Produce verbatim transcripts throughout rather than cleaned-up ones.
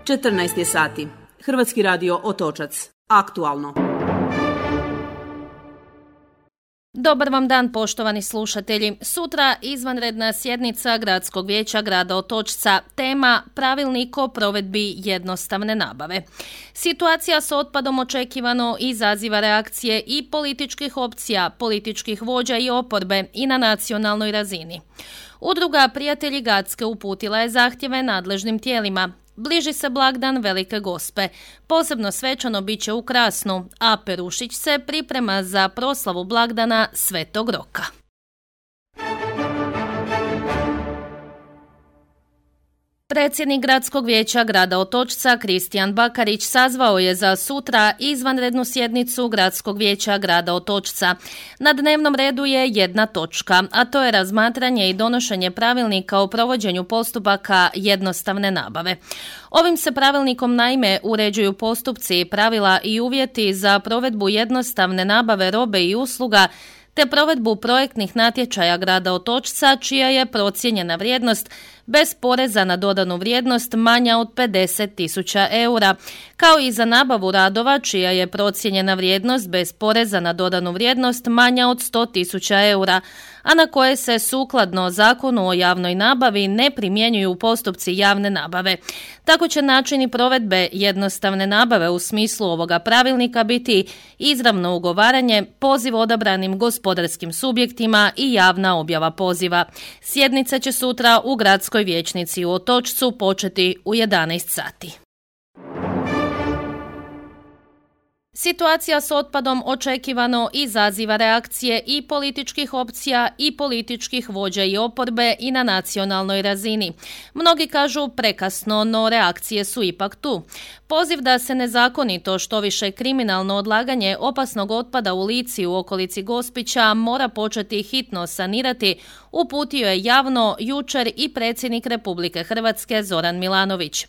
četrnaest je sati. Hrvatski radio Otočac. Aktualno. Dobar vam dan, poštovani slušatelji. Sutra izvanredna sjednica Gradskog vijeća grada Otočca. Tema pravilnik o provedbi jednostavne nabave. Situacija s otpadom očekivano izaziva reakcije i političkih opcija, političkih vođa i oporbe i na nacionalnoj razini. Udruga Prijatelji Gacke uputila je zahtjeve nadležnim tijelima. Bliži se blagdan Velike Gospe. Posebno svečano bit će u Krasnu, a Perušić se priprema za proslavu blagdana Svetog Roka. Predsjednik Gradskog vijeća grada Otočca Kristijan Bakarić sazvao je za sutra izvanrednu sjednicu Gradskog vijeća grada Otočca. Na dnevnom redu je jedna točka, a to je razmatranje i donošenje pravilnika o provođenju postupaka jednostavne nabave. Ovim se pravilnikom naime uređuju postupci, pravila i uvjeti za provedbu jednostavne nabave robe i usluga te provedbu projektnih natječaja grada Otočca čija je procijenjena vrijednost bez poreza na dodanu vrijednost manja od pedeset tisuća eura, kao i za nabavu radova čija je procijenjena vrijednost bez poreza na dodanu vrijednost manja od sto tisuća eura, a na koje se sukladno Zakonu o javnoj nabavi ne primjenjuju postupci javne nabave. Tako će načini provedbe jednostavne nabave u smislu ovoga pravilnika biti izravno ugovaranje, poziv odabranim gospodarskim subjektima i javna objava poziva. Sjednica će sutra u Gradskoj vijećnici u Otočcu početi u jedanaest sati. Situacija s otpadom očekivano izaziva reakcije i političkih opcija i političkih vođa i oporbe i na nacionalnoj razini. Mnogi kažu prekasno, no reakcije su ipak tu. Poziv da se nezakonito, što više kriminalno odlaganje opasnog otpada u Lici u okolici Gospića mora početi hitno sanirati, uputio je javno jučer i predsjednik Republike Hrvatske Zoran Milanović.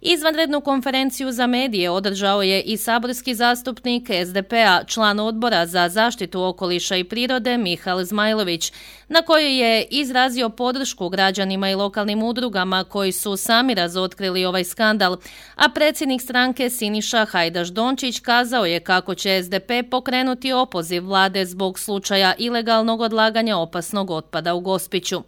Izvanrednu konferenciju za medije održao je i saborski zastupnik es de pe a, član odbora za zaštitu okoliša i prirode Mihael Zmajlović, na kojoj je izrazio podršku građanima i lokalnim udrugama koji su sami razotkrili ovaj skandal, a predsjednik stranke Siniša Hajdaš Dončić kazao je kako će es de pe pokrenuti opoziv vlade zbog slučaja ilegalnog odlaganja opasnog otpada u Gospiću.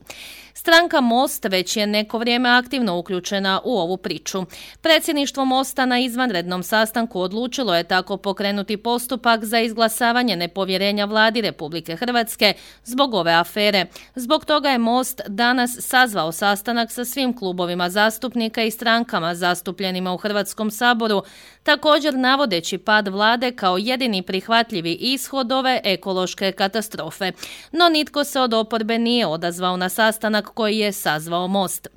Stranka Most već je neko vrijeme aktivno uključena u ovu priču. Predsjedništvo Mosta na izvanrednom sastanku odlučilo je tako pokrenuti postupak za izglasavanje nepovjerenja vladi Republike Hrvatske zbog ove afere. Zbog toga je Most danas sazvao sastanak sa svim klubovima zastupnika i strankama zastupljenima u Hrvatskom saboru, također navodeći pad vlade kao jedini prihvatljivi ishod ove ekološke katastrofe. No nitko se od oporbe nije odazvao na sastanak koji je sazvao Most.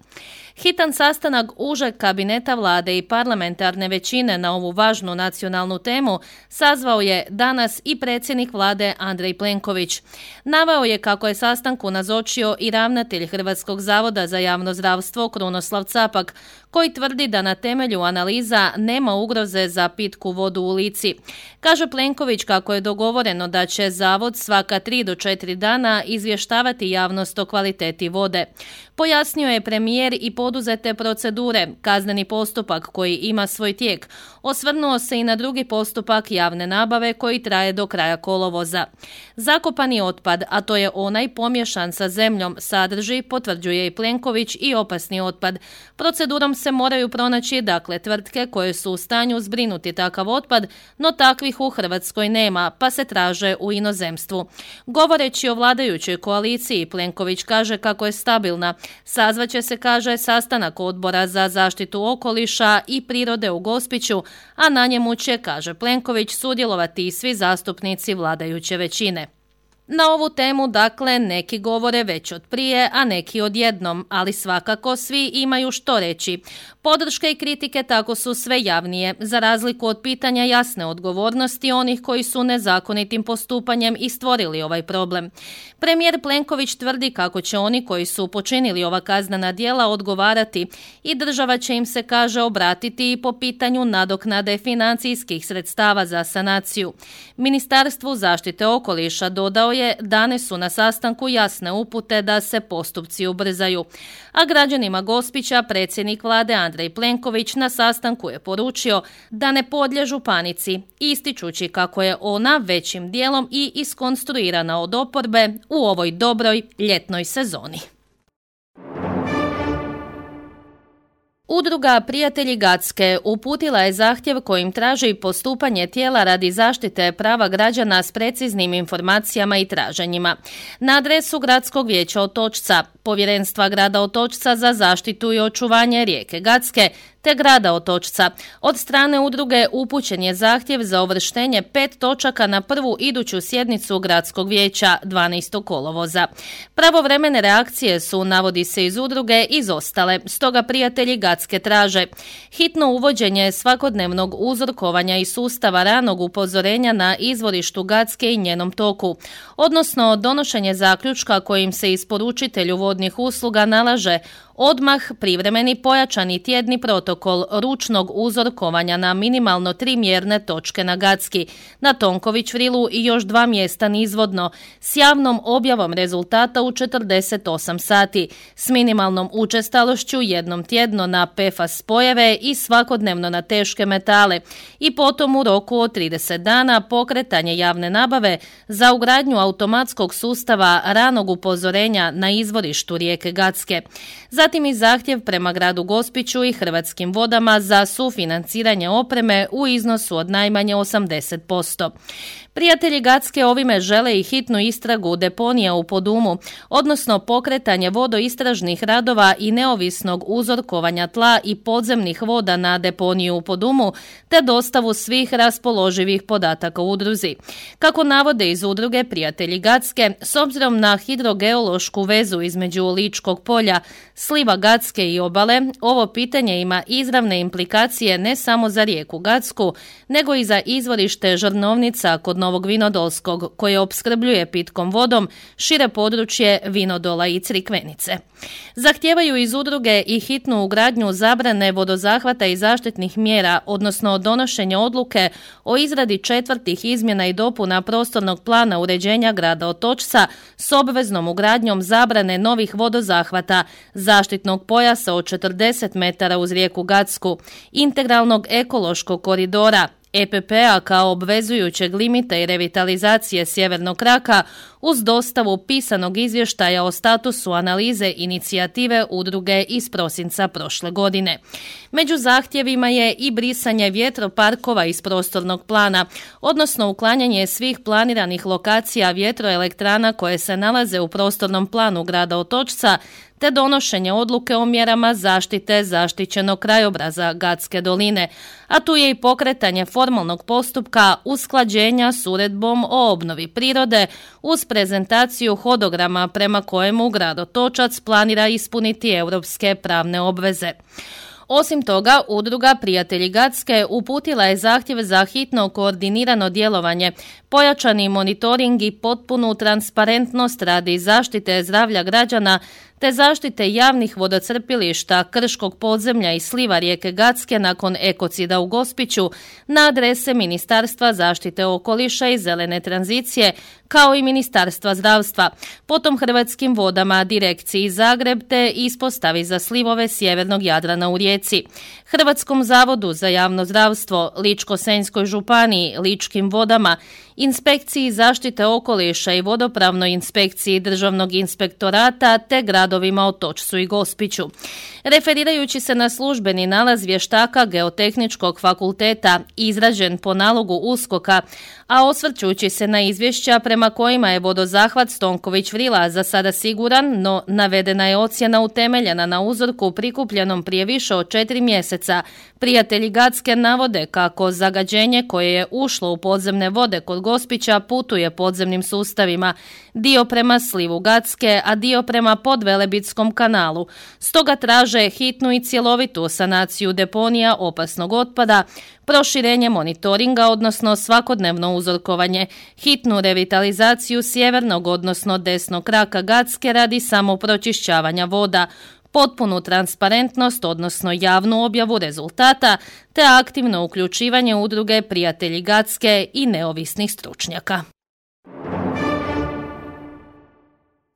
Hitan sastanak užeg kabineta vlade i parlamentarne većine na ovu važnu nacionalnu temu sazvao je danas i predsjednik vlade Andrej Plenković. Naveo je kako je sastanku nazočio i ravnatelj Hrvatskog zavoda za javno zdravstvo Krunoslav Capak, koji tvrdi da na temelju analiza nema ugroze za pitku vodu u Lici. Kaže Plenković kako je dogovoreno da će zavod svaka tri do četiri dana izvještavati javnost o kvaliteti vode. Pojasnio je premijer i poduzete procedure, kazneni postupak koji ima svoj tijek. Osvrnuo se i na drugi postupak javne nabave koji traje do kraja kolovoza. Zakopani otpad, a to je onaj pomješan sa zemljom, sadrži, potvrđuje i Plenković, i opasni otpad. Procedurom se moraju pronaći dakle tvrtke koje su u stanju zbrinuti takav otpad, no takvih u Hrvatskoj nema, pa se traže u inozemstvu. Govoreći o vladajućoj koaliciji, Plenković kaže kako je stabilna. Sazvaće se, kaže, sastanak odbora za zaštitu okoliša i prirode u Gospiću, a na njemu će, kaže Plenković, sudjelovati i svi zastupnici vladajuće većine. Na ovu temu, dakle, neki govore već od prije, a neki odjednom, ali svakako svi imaju što reći. Podrške i kritike tako su sve javnije, za razliku od pitanja jasne odgovornosti onih koji su nezakonitim postupanjem i stvorili ovaj problem. Premijer Plenković tvrdi kako će oni koji su počinili ova kaznena djela odgovarati i država će im se, kaže, obratiti i po pitanju nadoknade financijskih sredstava za sanaciju. Ministarstvu zaštite okoliša dodao koje dane su na sastanku jasne upute da se postupci ubrzaju. A građanima Gospića predsjednik vlade Andrej Plenković na sastanku je poručio da ne podliježu panici, ističući kako je ona većim dijelom i iskonstruirana od oporbe u ovoj dobroj ljetnoj sezoni. Udruga Prijatelji Gacke uputila je zahtjev kojim traži postupanje tijela radi zaštite prava građana s preciznim informacijama i traženjima. Na adresu Gradskog vijeća Otočca, Povjerenstva grada Otočca za zaštitu i očuvanje rijeke Gacke te grada Otočca, od strane udruge upućen je zahtjev za uvrštenje pet točaka na prvu iduću sjednicu Gradskog vijeća dvanaestog kolovoza. Pravovremene reakcije su, navodi se iz udruge, izostale, stoga Prijatelji Gacke traže hitno uvođenje svakodnevnog uzorkovanja i sustava ranog upozorenja na izvorištu Gacke i njenom toku, odnosno donošenje zaključka kojim se isporučitelju vodnih usluga nalaže odmah privremeni pojačani tjedni protokol ručnog uzorkovanja na minimalno tri mjerne točke na Gacki, na Tonković Vrilu i još dva mjesta nizvodno, s javnom objavom rezultata u četrdeset osam sati, s minimalnom učestalošću jednom tjedno na P F A S spojeve i svakodnevno na teške metale i potom u roku od trideset dana pokretanje javne nabave za ugradnju automatskog sustava ranog upozorenja na izvorištu rijeke Gacke. Zatim i zahtjev prema gradu Gospiću i Hrvatskim vodama za sufinanciranje opreme u iznosu od najmanje osamdeset posto. Prijatelji Gacke ovime žele i hitnu istragu deponija u Podumu, odnosno pokretanje vodoistražnih radova i neovisnog uzorkovanja tla i podzemnih voda na deponiju u Podumu, te dostavu svih raspoloživih podataka u udruzi. Kako navode iz udruge Prijatelji Gacke, s obzirom na hidrogeološku vezu između Ličkog polja, sliva Gacke i obale, ovo pitanje ima izravne implikacije ne samo za rijeku Gacku, nego i za izvorište Žrnovnica kod Novog Vinodolskog, koje opskrbljuje pitkom vodom šire područje Vinodola i Crikvenice. Zahtijevaju iz udruge i hitnu ugradnju zabrane vodozahvata i zaštitnih mjera, odnosno donošenje odluke o izradi četvrtih izmjena i dopuna prostornog plana uređenja grada Otočca s obveznom ugradnjom zabrane novih vodozahvata, zaštitnog pojasa od četrdeset metara uz rijeku Gacku, integralnog ekološkog koridora, E P P-a kao obvezujućeg limita i revitalizacije sjevernog kraka uz dostavu pisanog izvještaja o statusu analize inicijative udruge iz prosinca prošle godine. Među zahtjevima je i brisanje vjetroparkova iz prostornog plana, odnosno uklanjanje svih planiranih lokacija vjetroelektrana koje se nalaze u prostornom planu grada Otočca, te donošenje odluke o mjerama zaštite zaštićenog krajobraza Gacke doline, a tu je i pokretanje formalnog postupka usklađenja s uredbom o obnovi prirode uz prezentaciju hodograma prema kojemu grad Otočac planira ispuniti europske pravne obveze. Osim toga, udruga Prijatelji Gacke uputila je zahtjev za hitno koordinirano djelovanje, pojačani monitoring i potpunu transparentnost radi zaštite zdravlja građana te zaštite javnih vodocrpilišta, krškog podzemlja i sliva rijeke Gacke nakon ekocida u Gospiću na adrese Ministarstva zaštite okoliša i zelene tranzicije, kao i Ministarstva zdravstva, potom Hrvatskim vodama, Direkciji Zagreb te ispostavi za slivove sjevernog Jadrana u Rijeci, Hrvatskom zavodu za javno zdravstvo, Ličko-senjskoj županiji, Ličkim vodama, Inspekciji zaštite okoliša i vodopravnoj inspekciji Državnog inspektorata te gradovima Otočcu i Gospiću. Referirajući se na službeni nalaz vještaka Geotehničkog fakulteta izrađen po nalogu USKOK-a, a osvrćući se na izvješća prema kojima je vodozahvat Tonković Vrila za sada siguran, no navedena je ocjena utemeljena na uzorku prikupljenom prije više od četiri mjeseca, Prijatelji Gacke navode kako zagađenje koje je ušlo u podzemne vode kod Gospića putuje podzemnim sustavima, dio prema slivu Gacke, a dio prema Podvelebitskom kanalu. Stoga traže hitnu i cjelovitu sanaciju deponija opasnog otpada, proširenje monitoringa, odnosno svakodnevno uzorkovanje, hitnu revitalizaciju sjevernog, odnosno desnog kraka Gacke radi samopročišćavanja voda, potpunu transparentnost, odnosno javnu objavu rezultata, te aktivno uključivanje udruge Prijatelji Gacke i neovisnih stručnjaka.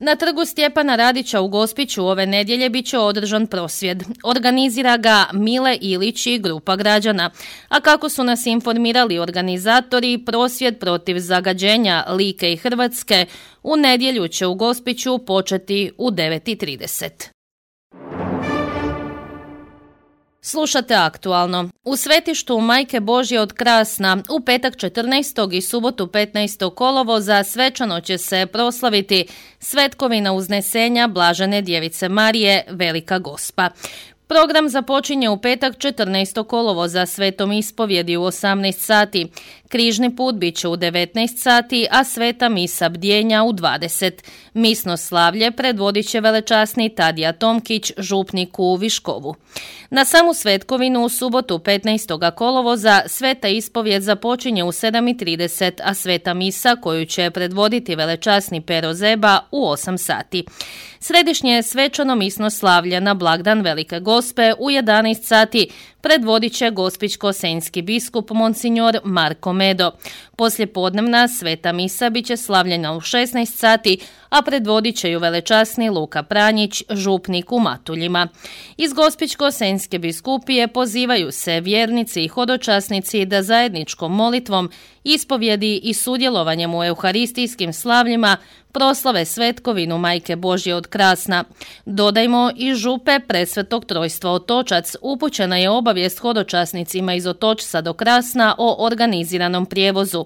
Na trgu Stjepana Radića u Gospiću ove nedjelje bit će održan prosvjed. Organizira ga Mile Ilić i grupa građana. A kako su nas informirali organizatori, prosvjed protiv zagađenja Like i Hrvatske u nedjelju će u Gospiću početi u devet i trideset. Slušate aktualno. U svetištu Majke Božje od Krasna u petak četrnaestog i subotu petnaestog kolovoza svečano će se proslaviti svetkovina uznesenja Blažene Djevice Marije, Velika Gospa. Program započinje u petak četrnaestog kolovoza svetom ispovjedi u osamnaest sati. Križni put bit će u devetnaest sati, a sveta misa bdjenja u dvadeset. Misno slavlje predvodit će velečasni Tadija Tomkić, župnik u Viškovu. Na samu svetkovinu u subotu petnaestog kolovoza sveta ispovjed započinje u sedam i trideset, a sveta misa koju će predvoditi velečasni Pero Zeba u osam sati. Središnje svečano misno slavlje na blagdan Velike Gospe u jedanaest sati predvodit će gospićko-senjski biskup monsignor Marko Medo. Poslijepodnevna sveta misa bit će slavljena u šesnaest sati, a predvodit će ju velečasni Luka Pranjić, župnik u Matuljima. Iz gospićko-senjske biskupije pozivaju se vjernici i hodočasnici da zajedničkom molitvom, ispovjedi i sudjelovanjem u euharistijskim slavljima proslave svetkovinu Majke Božje od Krasna. Dodajmo, i župe Presvetog Trojstva Otočac upućena je obavijest hodočasnicima iz Otočca do Krasna o organiziranom prijevozu.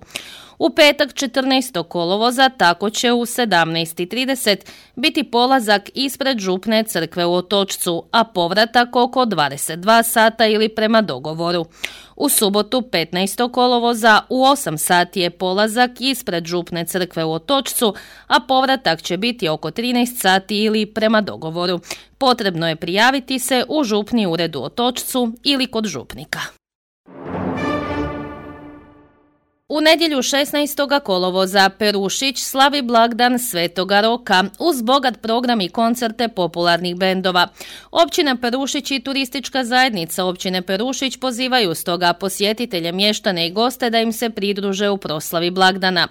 U petak četrnaestog kolovoza tako će u sedamnaest i trideset biti polazak ispred župne crkve u Otočcu, a povratak oko dvadeset dva sata ili prema dogovoru. U subotu petnaestog kolovoza u osam sati je polazak ispred župne crkve u Otočcu, a povratak će biti oko trinaest sati ili prema dogovoru. Potrebno je prijaviti se u župni ured u Otočcu ili kod župnika. U nedjelju šesnaestog kolovoza Perušić slavi blagdan Svetoga Roka uz bogat program i koncerte popularnih bendova. Općina Perušić i turistička zajednica općine Perušić pozivaju stoga posjetitelje, mještane i goste da im se pridruže u proslavi blagdana.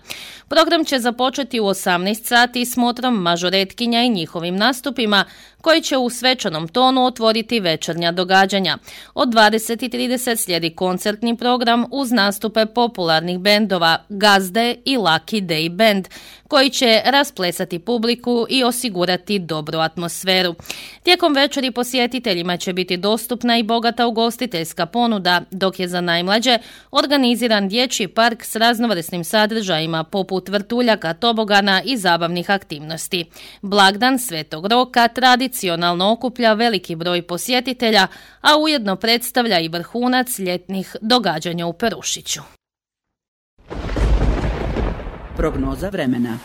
Program će započeti u osamnaest sati s motrom mažoretkinja i njihovim nastupima, koji će u svečanom tonu otvoriti večernja događanja. Od dvadeset i trideset slijedi koncertni program uz nastupe popularnih bendova Gazde i Lucky Day Band, koji će rasplesati publiku i osigurati dobru atmosferu. Tijekom večeri posjetiteljima će biti dostupna i bogata ugostiteljska ponuda, dok je za najmlađe organiziran dječji park s raznovrsnim sadržajima poput vrtuljaka, tobogana i zabavnih aktivnosti. Blagdan Svetog Roka tradicionalno okuplja veliki broj posjetitelja, a ujedno predstavlja i vrhunac ljetnih događanja u Perušiću. Prognoza vremena.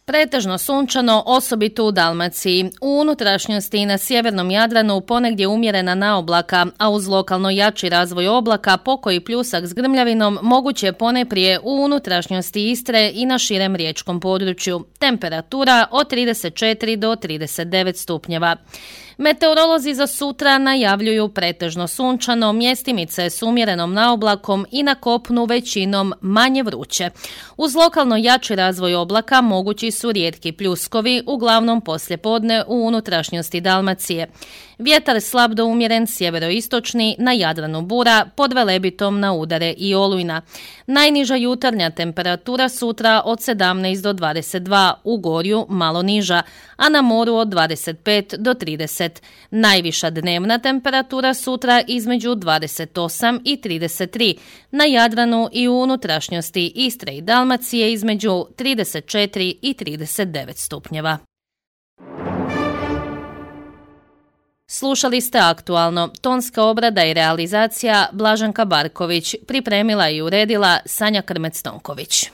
Pretežno sunčano, osobito u Dalmaciji. U unutrašnjosti i na sjevernom Jadranu ponegdje umjerena naoblaka, a uz lokalno jači razvoj oblaka, pokoji pljusak s grmljavinom moguće poneprije u unutrašnjosti Istre i na širem riječkom području. Temperatura od trideset četiri do trideset devet stupnjeva. Meteorolozi za sutra najavljuju pretežno sunčano, mjestimice s umjerenom naoblakom i na kopnu većinom manje vruće. Uz lokalno jači razvoj oblaka mogući su rijetki pljuskovi, uglavnom poslijepodne u unutrašnjosti Dalmacije. Vjetar slab do umjeren sjeveroistočni, na Jadranu bura, pod Velebitom na udare i olujna. Najniža jutarnja temperatura sutra od sedamnaest do dvadeset dva, u Gorju malo niža, a na moru od dvadeset pet do trideset. Najviša dnevna temperatura sutra između dvadeset osam i trideset tri, na Jadranu i u unutrašnjosti Istre i Dalmacije između trideset četiri i trideset devet stupnjeva. Slušali ste aktualno. Tonska obrada i realizacija Blaženka Barković, pripremila i uredila Sanja Krmec-Tonković.